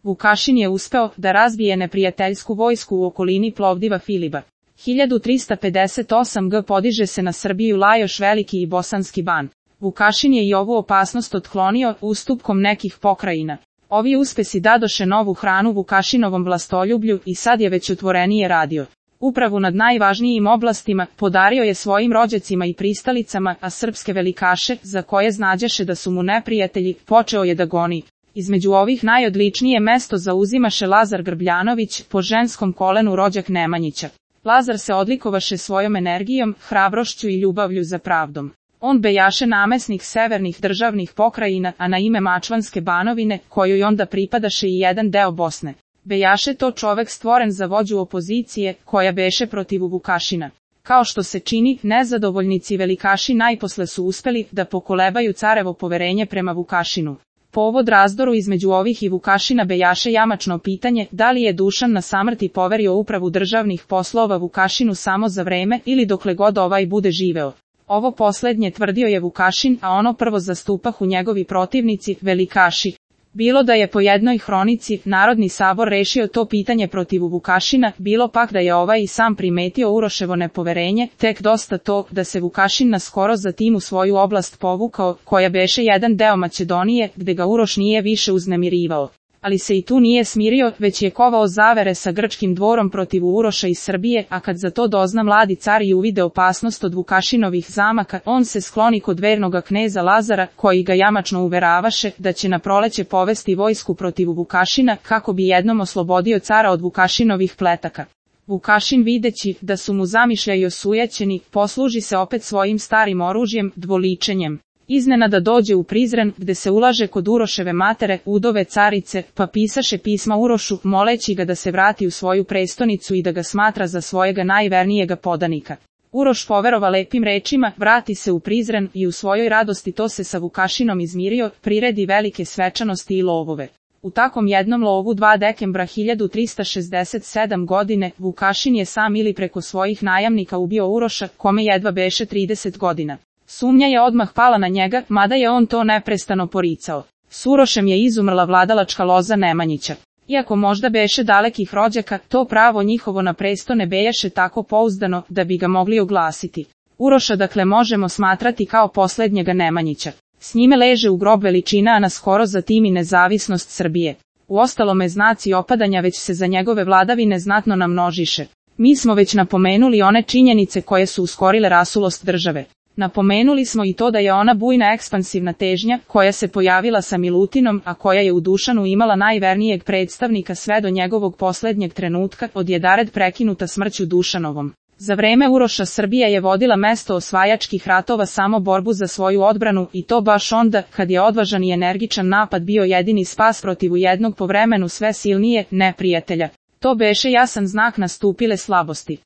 Vukašin je uspeo da razbije neprijateljsku vojsku u okolini Plovdiva Filiba. 1358 g podiže se na Srbiju Lajoš Veliki i Bosanski Ban. Vukašin je i ovu opasnost otklonio ustupkom nekih pokrajina. Ovi uspesi dadoše novu hranu Vukašinovom vlastoljublju i sad je već otvorenije radio. Upravu nad najvažnijim oblastima podario je svojim rođacima i pristalicama, a srpske velikaše, za koje znađeše da su mu neprijatelji, počeo je da goni. Između ovih najodličnije mesto zauzimaše Lazar Grbljanović, po ženskom kolenu rođak Nemanjića. Lazar se odlikovaše svojom energijom, hrabrošću i ljubavlju za pravdom. On bejaše namesnik severnih državnih pokrajina, a na ime Mačvanske Banovine, kojoj onda pripadaše i jedan deo Bosne. Bejaše to čovek stvoren za vođu opozicije, koja beše protiv Vukašina. Kao što se čini, nezadovoljnici velikaši najposle su uspeli da pokolebaju carevo poverenje prema Vukašinu. Povod razdoru između ovih i Vukašina bejaše jamačno pitanje da li je Dušan na samrti poverio upravu državnih poslova Vukašinu samo za vreme ili dokle god ovaj bude živeo. Ovo poslednje tvrdio je Vukašin, a ono prvo zastupahu njegovi protivnici, velikaši. Bilo da je po jednoj hronici Narodni sabor rešio to pitanje protiv Vukašina, bilo pak da je ovaj i sam primetio Uroševo nepoverenje, tek dosta to da se Vukašin naskoro zatim u svoju oblast povukao, koja beše jedan deo Makedonije, gde ga Uroš nije više uznemirivao. Ali se i tu nije smirio, već je kovao zavere sa grčkim dvorom protiv Uroša iz Srbije, a kad za to dozna mladi car i uvide opasnost od Vukašinovih zamaka, on se skloni kod vernoga kneza Lazara, koji ga jamačno uveravaše da će na proleće povesti vojsku protiv Vukašina, kako bi jednom oslobodio cara od Vukašinovih pletaka. Vukašin, videći da su mu zamišljaji osujećeni, posluži se opet svojim starim oružjem, dvoličenjem. Iznenada dođe u Prizren, gde se ulaže kod Uroševe matere, udove carice, pa pisaše pisma Urošu, moleći ga da se vrati u svoju prestonicu i da ga smatra za svojega najvernijega podanika. Uroš poverova lepim rečima, vrati se u Prizren i u svojoj radosti to se sa Vukašinom izmirio, priredi velike svečanosti i lovove. U takom jednom lovu 2 dekembra 1367 godine, Vukašin je sam ili preko svojih najamnika ubio Uroša, kome jedva beše 30 godina. Sumnja je odmah pala na njega, mada je on to neprestano poricao. S Urošem je izumrla vladalačka loza Nemanjića. Iako možda beše dalekih rođaka, to pravo njihovo na presto ne bejaše tako pouzdano da bi ga mogli oglasiti. Uroša dakle možemo smatrati kao poslednjega Nemanjića. S njime leže u grob veličina, a naskoro zatim i nezavisnost Srbije. Uostalome znaci opadanja već se za njegove vladavine znatno namnožiše. Mi smo već napomenuli one činjenice koje su uskorile rasulost države. Napomenuli smo i to da je ona bujna ekspansivna težnja, koja se pojavila sa Milutinom, a koja je u Dušanu imala najvernijeg predstavnika sve do njegovog poslednjeg trenutka, odjedared prekinuta smrću Dušanovom. Za vreme Uroša Srbija je vodila mesto osvajačkih ratova samo borbu za svoju odbranu i to baš onda, kad je odvažan i energičan napad bio jedini spas protiv jednog povremenu sve silnije neprijatelja. To beše jasan znak nastupile slabosti.